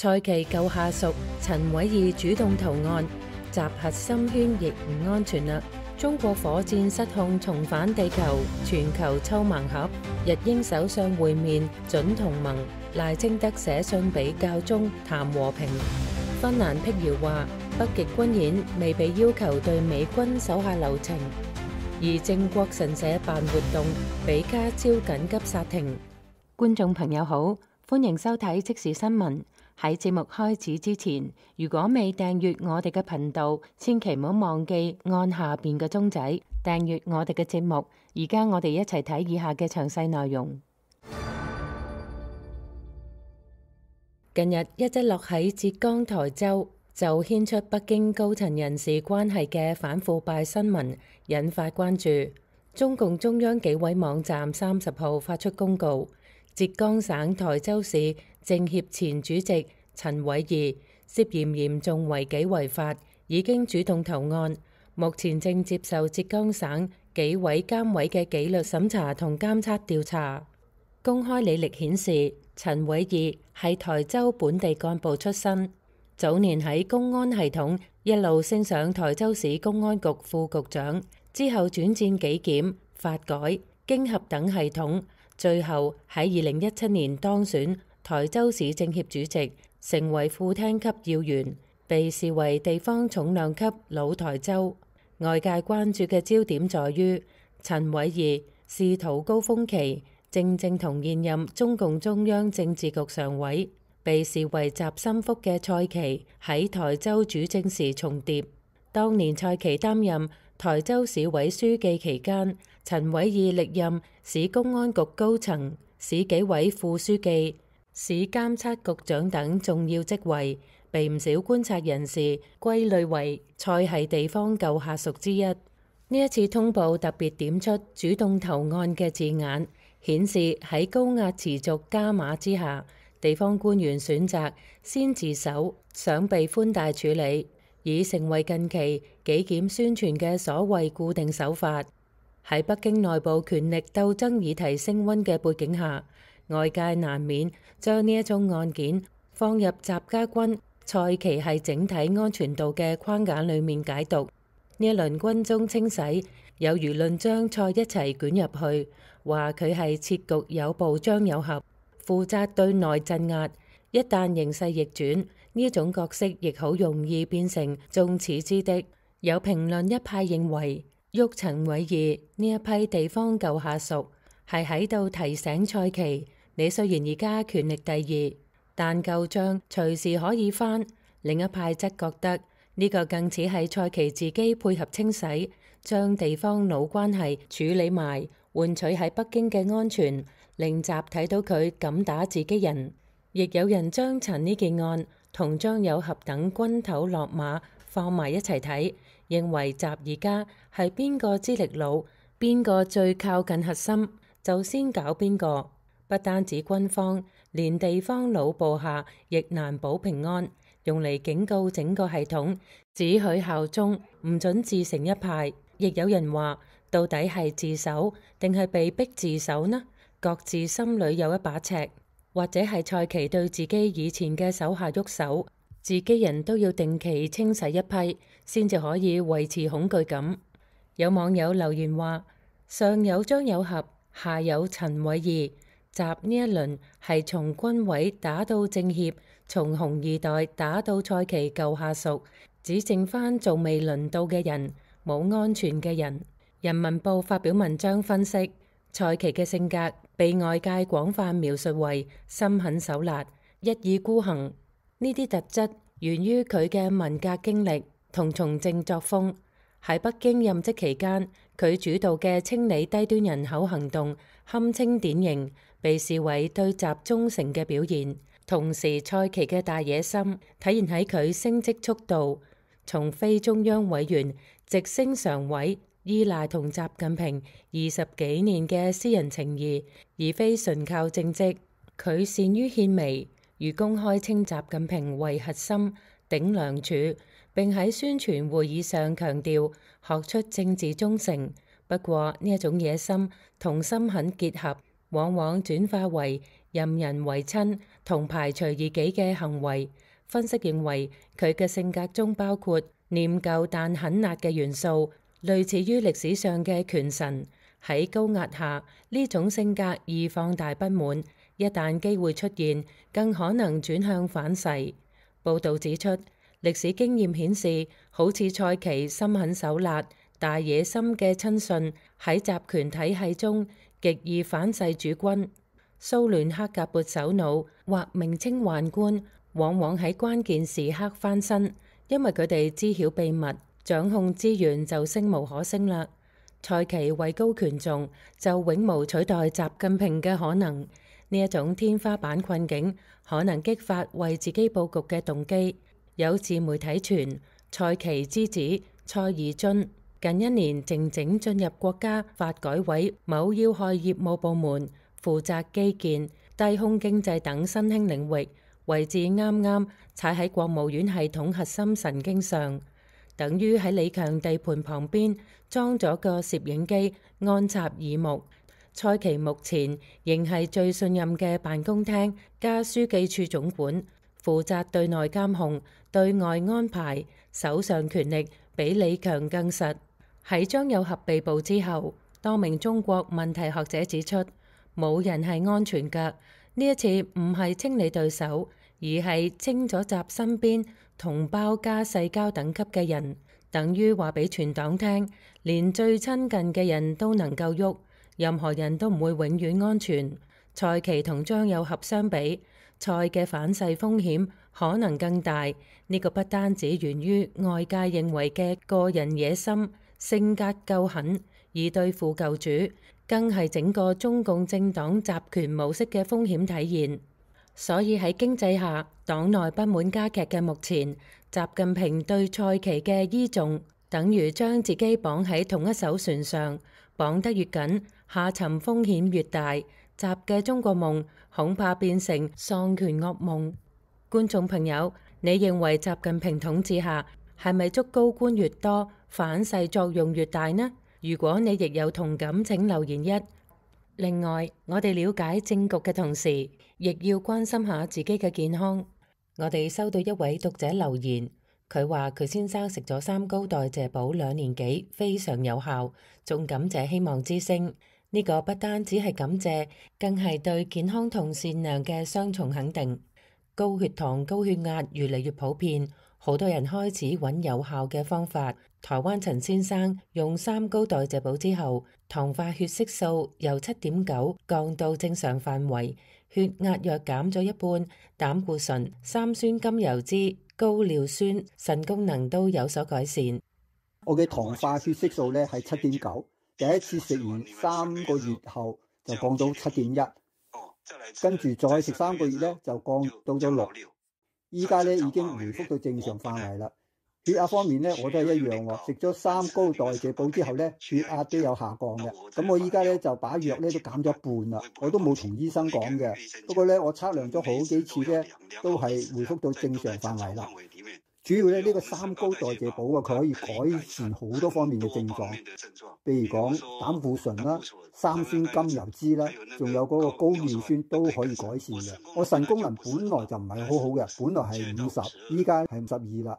蔡奇舊下屬陳偉義主動投案，集核心圈亦唔安全啦。中國火箭失控重返地球，全球抽盲盒。日英首相會面準同盟，賴清德寫信俾教宗談和平。芬蘭辟謠話北極軍演未被要求對美軍手下留情，而靖國神社辦活動比卡超緊急剎停。觀眾朋友好，歡迎收睇即時新聞。喺節目開始之前，如果未訂閱我哋嘅頻道，千祈唔好忘記按下邊嘅鐘仔訂閱我哋嘅節目。而家我哋一齊睇以下嘅詳細內容。近日一則落喺浙江台州就牽出北京高層人事關係嘅反腐敗新聞，引發關注。中共中央紀委網站30號發出公告，浙江省台州市政協前主席陳偉義涉嫌嚴重違紀違法，已經主動投案，目前正接受浙江省紀委監委嘅紀律審查同監測調查。公開履歷顯示，陳偉義係台州本地幹部出身，早年喺公安系統一路升上台州市公安局副局長，之後轉戰紀檢、法改、經合等系統，最後喺2017年當選台州市政協主席，成為副廳級要員，被視為地方重量級老台州。外界關注嘅焦點在於陳偉義仕途高峰期正同現任中共中央政治局常委，被視為習心腹嘅蔡奇喺台州主政時重疊。當年蔡奇擔任台州市委書記期間，陳偉義歷任市公安局高層、市紀委副書記、市監測局長等重要職位，被唔少觀察人士歸類為蔡系地方舊下屬之一。呢一次通報特別點出主動投案嘅字眼，顯示喺高壓持續加碼之下，地方官員選擇先自首，想被寬大處理，已成為近期紀檢宣傳嘅所謂固定手法。喺北京內部權力鬥爭議題升溫嘅背景下，外界難免將呢一宗案件放入習家軍蔡奇係整體安全度嘅框架裡面解讀。呢一輪軍中清洗，有輿論將蔡一齊捲入去，話佢係設局有步張有合，負責對內鎮壓。一旦形勢逆轉，呢種角色亦好容易變成眾矢之的。有評論一派認為，喐陳偉義呢一批地方舊下屬係喺度提醒蔡奇，你雖然而家權力第二，但舊帳隨時可以翻。另一派則覺得呢個更似係蔡奇自己配合清洗，將地方老關係處理埋，換取喺北京嘅安全，令習睇到佢敢打自己人。亦有人將陳呢件案同張有俠等軍頭落馬放埋一齊睇，認為習而家係邊個資歷老，邊個最靠近核心，就先搞邊個。不單止軍方，連地方老部下亦難保平安，用嚟警告整個系統，只許效忠，唔准自成一派。亦有人話，到底係自首定係被逼自首呢？各自心裏有一把尺。或者係蔡奇對自己以前嘅手下喐手，自己人都要定期清洗一批，先至可以維持恐懼感。有網友留言話，上有張有俠，下有陳偉義，習呢一輪係從軍委打到政協，從紅二代打到蔡奇舊下屬，只剩翻仲未輪到嘅人，冇安全嘅人。人民報發表文章分析，蔡奇嘅性格被外界廣泛描述為心狠手辣、一意孤行。呢啲特質源於佢嘅文革經歷同從政作風。喺北京任職期間，佢主導嘅清理低端人口行動堪稱典型，被視為對習忠誠嘅表現。同時，蔡奇嘅大野心體現喺佢升職速度，從非中央委員直升常委，依賴同習近平20幾年嘅私人情誼，而非純靠政績。佢善於獻媚，如公開稱習近平為核心頂梁柱，並喺宣傳會議上強調學出政治忠誠。不過呢一種野心同心狠結合，往往轉化為任人唯親同排除異己嘅行為。分析認為，佢嘅性格中包括念舊但狠辣嘅元素，類似於歷史上嘅權臣。喺高壓下，呢種性格易放大不滿，一旦機會出現，更可能轉向反噬。報導指出，歷史經驗顯示，好似蔡奇心狠手辣、大野心嘅親信，喺集權體系中極易反噬主君。蘇聯克格勃首腦或名稱宦官，往往喺關鍵時刻翻身，因為佢哋知曉秘密，掌控資源就聲無可聲啦。蔡奇位高權重，就永無取代習近平嘅可能。呢一種天花板困境，可能激發為自己佈局嘅動機。有自媒體傳，蔡奇之子蔡宜津近一年靜靜進入國家發改委某要害業務部門，負責基建、低空經濟等新興領域，位置啱啱踩喺國務院系統核心神經上，等於喺李強地盤旁邊裝咗個攝影機，安插耳目。蔡奇目前仍係最信任嘅辦公廳加書記處總管，負責對內監控、對外安排，手上權力比李強更實。喺張有俠被捕之後，多名中國問題學者指出，冇人係安全㗎。呢一次唔係清理對手，而係清咗習身邊同胞加世交等級嘅人，等於話俾全黨聽，連最親近嘅人都能夠喐，任何人都唔會永遠安全。蔡奇同張有俠相比，蔡嘅反噬風險可能更大。呢個不單止源於外界認為嘅個人野心、性格夠狠而對付舊主，更係整個中共政黨集權模式嘅風險體現。所以喺經濟下黨內不滿加劇嘅目前，習近平對蔡奇嘅依重，等於將自己綁喺同一艘船上，綁得越緊，下沉風險越大。習嘅中國夢恐怕變成喪權噩夢。觀眾朋友，你認為習近平統治下係咪祝高官越多，反噬作用越大呢？如果你亦有同感，請留言一。另外，我哋了解政局嘅同時，亦要關心下自己嘅健康。我哋收到一位讀者留言，佢話佢先生食咗三高代謝寶2年幾，非常有效，仲感謝希望之聲。呢個不單只係感謝，更係對健康同善良嘅雙重肯定。高血糖、高血壓越嚟越普遍，好多人開始揾有效嘅方法。台灣陳先生用三高代謝寶之後，糖化血色素由7.9降到正常範圍，血壓藥減咗一半，膽固醇、三酸甘油酯、高尿酸、腎功能都有所改善。我嘅糖化血色素呢係7.9，第一次食完3個月後就降到7.1，跟住再食3個月呢就降到咗6，依家呢已經回復到正常範圍啦。血壓方面呢，我都係一樣喎，食咗三高代謝寶之後呢，血壓都有下降嘅。咁我依家呢就把藥呢都減咗一半啦，我都冇同醫生講嘅。不過呢，我測量咗好幾次呢，都係回復到正常範圍啦。主要呢個三高代謝寶啊，佢可以改善好多方面嘅症狀，譬如講膽固醇啦、三酸甘油酯啦，仲有嗰個高尿酸都可以改善嘅。我腎功能本來就唔係好好嘅，本來係50，依家係52啦。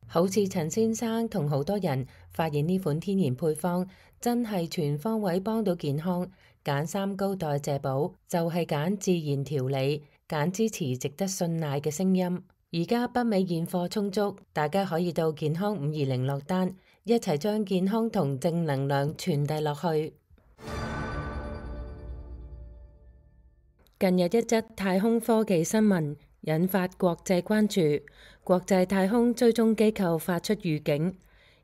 好似陳先生同好多人發現呢款天然配方真係全方位幫到健康，揀三高代謝寶就係揀自然調理，揀支持值得信賴嘅聲音。而家北美現貨充足，大家可以到健康520落單，一齊將健康同正能量傳遞落去。近日一則太空科技新聞引發國際關注，國際太空追蹤機構發出預警，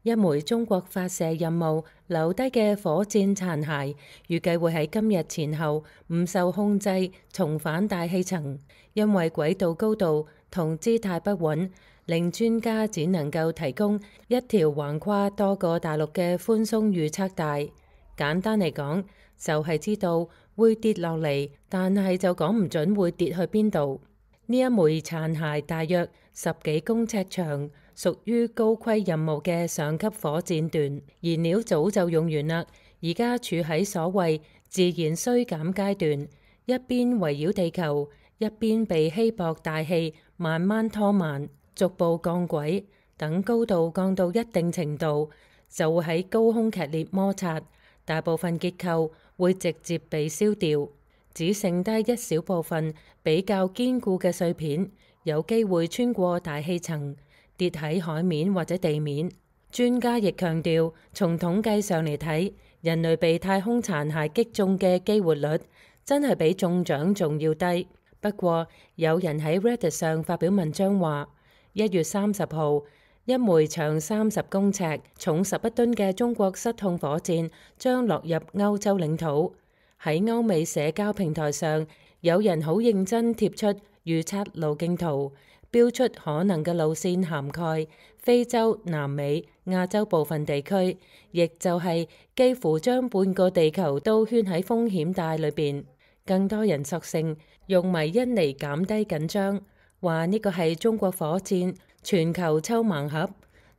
一枚中國發射任務留低嘅火箭殘骸，預計會喺今日前後唔受控制重返大氣層，因為軌道高度同姿態不穩，令專家只能夠提供一條橫跨多個大陸嘅寬鬆預測帶。簡單嚟講，就係知道會跌落嚟，但係就講唔準會跌去邊度。呢一枚殘骸大約10幾公尺長，屬於高規任務嘅上級火箭段，燃料早就用完啦，而家處喺所謂自然衰減階段。一邊圍繞地球，一邊被稀薄大氣慢慢拖慢，逐步降軌。等高度降到一定程度，就會喺高空劇烈摩擦，大部分結構會直接被燒掉，只剩低一小部分比較堅固嘅碎片，有機會穿過大氣層，跌喺海面或者地面。專家亦強調，從統計上嚟睇，人類被太空殘骸擊中嘅機會率真係比中獎仲要低。不過，有人喺 Reddit 上發表文章話，1月30號，一枚長30公尺、重11噸嘅中國失控火箭將落入歐洲領土。喺歐美社交平台上，有人好認真貼出預測路徑圖，標出可能嘅路線涵蓋非洲、南美、亞洲部分地區，亦就係幾乎將半個地球都圈喺風險帶裏邊。更多人索性用迷因嚟減低緊張，話呢個係中國火箭全球抽盲盒。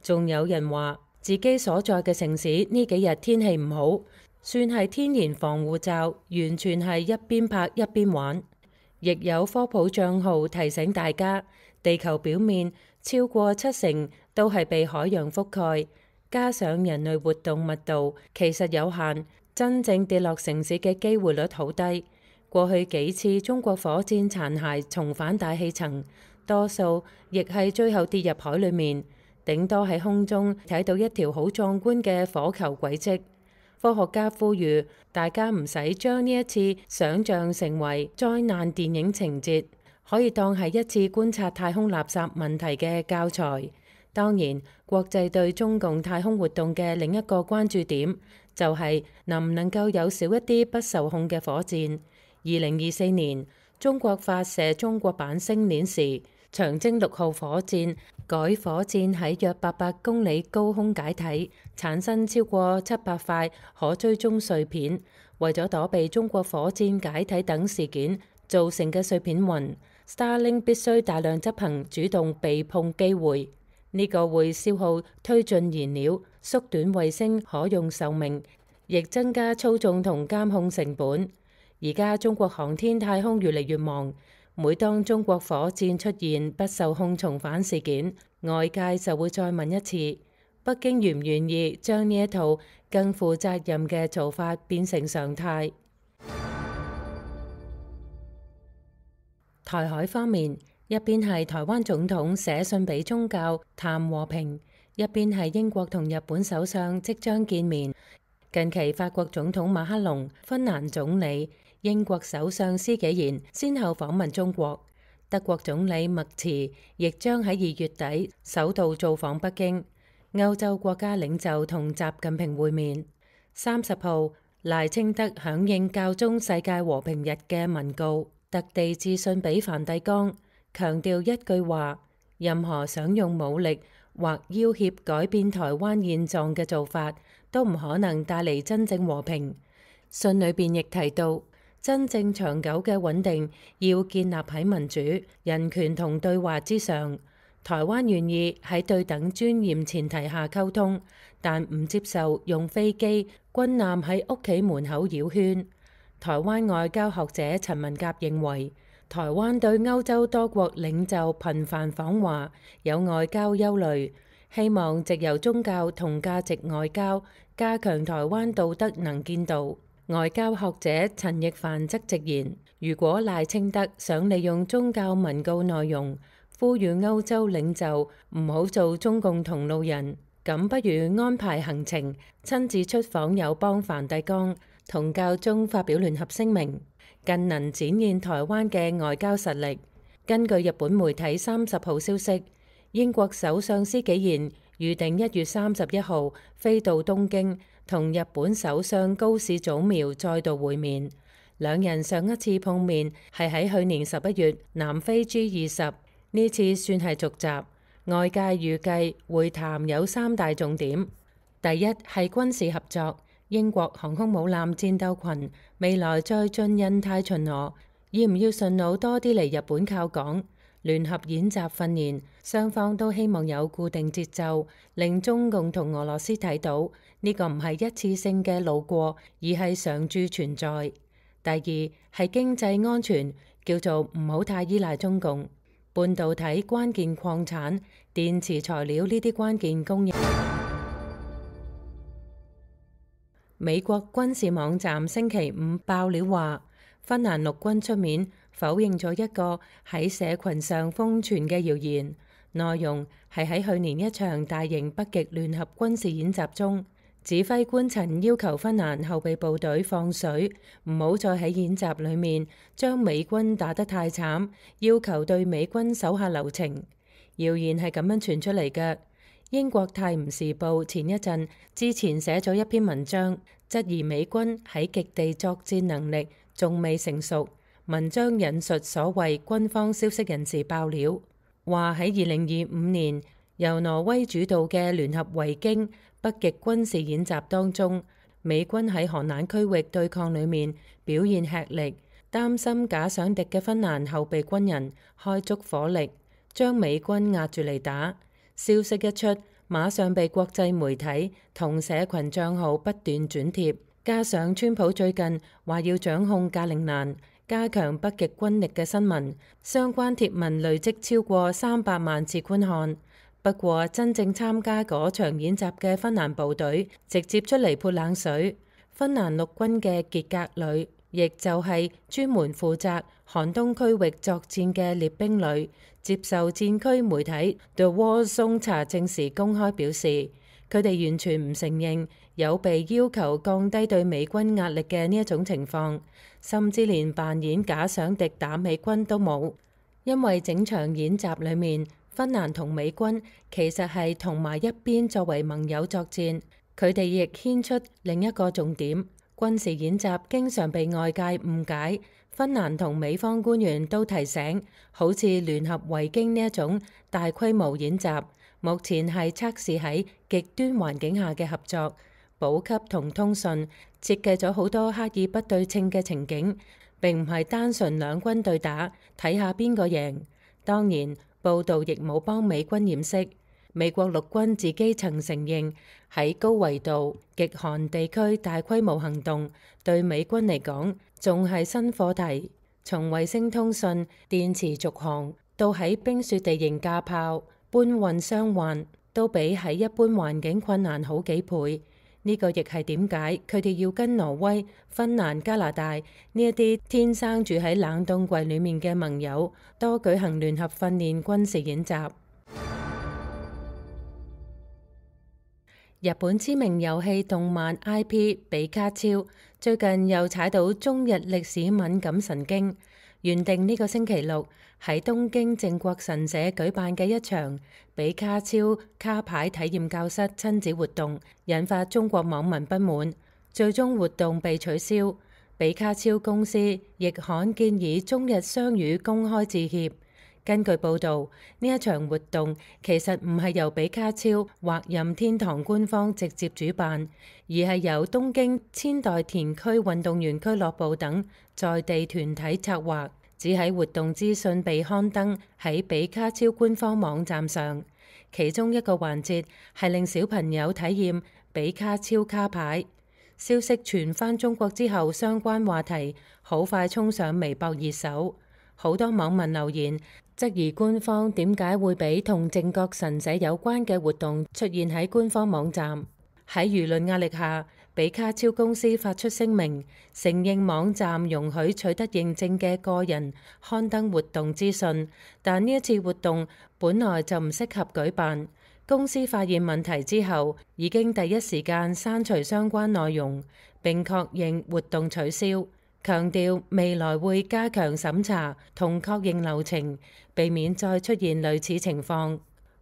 仲有人話自己所在嘅城市呢幾日天氣唔好，算係天然防護罩，完全係一邊拍一邊玩。亦有科普帳號提醒大家，地球表面超過70%都係被海洋覆蓋，加上人類活動密度其實有限，真正跌落城市嘅機會率好低。過去幾次中國火箭殘骸重返大氣層，多數亦係最後跌入海裡面，頂多喺空中睇到一條好壯觀嘅火球軌跡。科學家呼籲大家唔使將呢一次想像成為災難電影情節，可以當係一次觀察太空垃圾問題嘅教材。當然，國際對中共太空活動嘅另一個關注點就係能唔能夠有少一啲不受控嘅火箭。2024年，中國發射中國版星鏈時，長征6號火箭改火箭喺約800公里高空解體，產生超過700塊可追蹤碎片。為咗躲避中國火箭解體等事件造成嘅碎片雲，Starlink 必須大量執行主動避碰機會。呢個會消耗推進燃料，縮短衛星可用壽命，亦增加操縱同監控成本。而家中國航天太空越嚟越忙，每當中國火箭出現不受控重返事件，外界就會再問一次，北京願唔願意將呢一套更負責任嘅做法變成常態。台海方面，一邊係台灣總統寫信俾宗教談和平，一邊係英國同日本首相即將見面。近期法國總統馬克龍、芬蘭總理、英國首相施紀賢先後訪問中國，德國總理默茨亦將喺2月底首度造訪北京。歐洲國家領袖同習近平會面。30號，賴清德響應教宗世界和平日嘅文告，特地致信俾梵蒂岡，強調一句話：任何想用武力或要挾改變台灣現狀嘅做法，都唔可能帶嚟真正和平。信裏邊亦提到，真正長久嘅穩定要建立喺民主、人權同對話之上。台灣願意喺對等尊嚴前提下溝通，但唔接受用飛機、軍艦喺屋企門口繞圈。台灣外交學者陳文甲認為，台灣對歐洲多國領袖頻繁訪華有外交憂慮，希望藉由宗教同價值外交加強台灣道德能見度。外交學者陳奕凡則直言，如果賴清德想利用宗教文告內容呼籲歐洲領袖唔好做中共同路人，咁不如安排行程，親自出訪友邦梵蒂岡，同教宗發表聯合聲明，更能展現台灣嘅外交實力。根據日本媒體30號消息，英國首相施紀賢預定1月31號飛到東京，同日本首相高市早苗再度會面。兩人上一次碰面係喺去年11月南非 G20。呢次算係續集，外界預計會談有3大重點。第一係軍事合作，英國航空母艦戰鬥群未來再進印太巡邏，要唔要順路多啲嚟日本靠港？聯合演習訓練，雙方都希望有固定節奏，令中共同俄羅斯睇到呢個唔係一次性嘅路過，而係常駐存在。第二係經濟安全，叫做唔好太依賴中共。半導體關鍵礦產、電池材料呢啲關鍵供應。美國軍事網站星期五爆料話，芬蘭陸軍出面否認咗一個喺社群上瘋傳嘅謠言，內容係喺去年一場大型北極聯合軍事演習中，指揮官曾要求芬蘭後備部隊放水，唔好再喺演習裡面將美軍打得太慘，要求對美軍手下留情。謠言係咁樣傳出嚟嘅。英國泰晤士報前一陣之前寫咗一篇文章，質疑美軍喺極地作戰能力仲未成熟。文章引述所謂軍方消息人士爆料，話喺2025年由挪威主導嘅聯合維京北極軍事演習當中，美軍喺寒冷區域對抗裡面表現吃力，擔心假想敵嘅芬蘭後備軍人開足火力，將美軍壓住嚟打。消息一出，馬上被國際媒體同社群帳號不斷轉貼，加上川普最近話要掌控格陵蘭，加強北極軍力嘅新聞，相關貼文累積超過300萬次觀看。不過，真正參加嗰場演習嘅芬蘭部隊直接出嚟潑冷水。芬蘭陸軍嘅傑格旅，亦就係專門負責寒冬區域作戰嘅列兵旅，接受戰區媒體 The War Zone 查證時公開表示，佢哋完全唔承認有被要求降低對美軍壓力嘅呢一種情況，甚至連扮演假想敵打美軍都冇，因為整場演習裡面，芬蘭同美軍其實係同埋一邊作為盟友作戰。佢哋亦牽出另一個重點，軍事演習經常被外界誤解。芬蘭同美方官員都提醒，好似聯合維京呢一種大規模演習，目前係測試喺極端環境下嘅合作、補給同通訊，設計咗好多刻意不對稱嘅情景，並唔係單純兩軍對打，睇下邊個贏。當然，報道亦冇幫美軍掩飾，美國陸軍自己曾承認喺高緯度極寒地區大規模行動對美軍嚟講仲係新課題，從衛星通訊、電磁續航到喺冰雪地形架炮、搬運傷患，都比喺一般環境困難好幾倍。呢個亦係點解佢哋要跟挪威、芬蘭、加拿大呢一啲天生住喺冷凍櫃裡面嘅盟友多舉行聯合訓練軍事演習。日本知名遊戲動漫 IP 比卡超最近又踩到中日歷史敏感神經，原定呢個星期六喺東京靖國神社舉辦嘅一場比卡超卡牌體驗教室親子活動，引發中國網民不滿，最終活動被取消。比卡超公司亦罕建議中日雙語公開致歉。根據報導，呢一場活動其實唔係由比卡超或任天堂官方直接主辦，而係由東京千代田區運動員俱樂部等在地團體策劃，只喺活動資訊被刊登喺比卡超官方網站上。其中一個環節係令小朋友體驗比卡超卡牌。消息傳返中國之後，相關話題好快衝上微博熱搜，好多網民留言質疑官方點解會俾同靖國神社有關嘅活動出現喺官方網站。喺輿論壓力下，比卡超公司發出聲明，承認網站容許取得認證嘅個人刊登活動資訊，但呢一次活動本來就唔適合舉辦。公司發現問題之後，已經第一時間刪除相關內容，並確認活動取消。強調未來會加強審查同確認流程，避免再出現類似情況。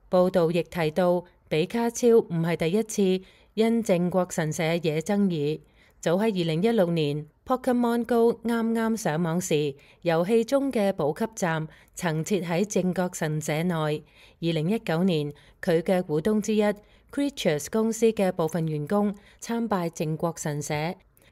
報道亦提到，比卡超唔係第一次因靖國神社惹爭議。早喺2016年 Pokemon Go 啱啱上網時，遊戲中嘅補給站曾設喺靖國神社內。2019年，佢嘅股東之一 Creatures 公司嘅部分員工參拜靖國神社。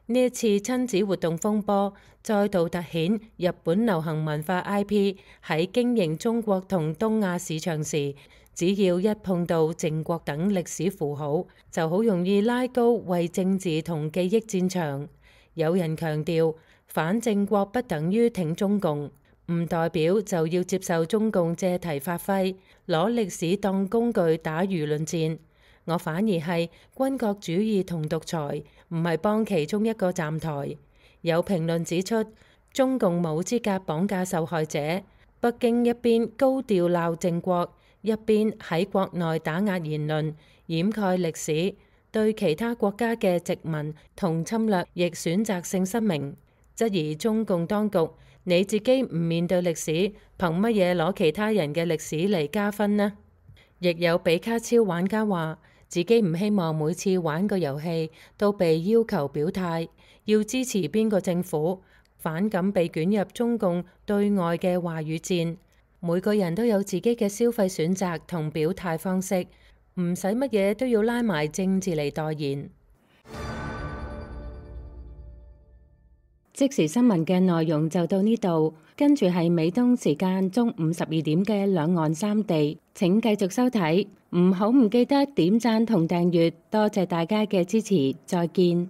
呢一次親子活動風波，再度凸顯日本流行文化 IP 喺經營中國同東亞市場時，只要一碰到靖國等歷史符號，就好容易拉高為政治同記憶戰場。有人強調，反正國不等於挺中共，唔代表就要接受中共借題發揮，攞歷史當工具打輿論戰。我反而係軍國主義同獨裁，唔係幫其中一個站台。有評論指出，中共冇資格綁架受害者。北京一邊高調鬧正國，一邊喺國內打壓言論，掩蓋歷史，對其他國家嘅殖民同侵略亦選擇性失明，質疑中共當局，你自己唔面對歷史，憑乜嘢攞其他人嘅歷史嚟加分呢？亦有比卡超玩家話，自己唔希望每次玩個遊戲都被要求表態，要支持邊個政府，反感被捲入中共對外嘅話語戰。每個人都有自己嘅消費選擇同表態方式，唔使乜嘢都要拉埋政治嚟代言。即時新聞嘅內容就到呢度，跟住係美東時間中午12點嘅兩岸三地，請繼續收睇，唔記得點讚同訂閱，多謝大家嘅支持，再見。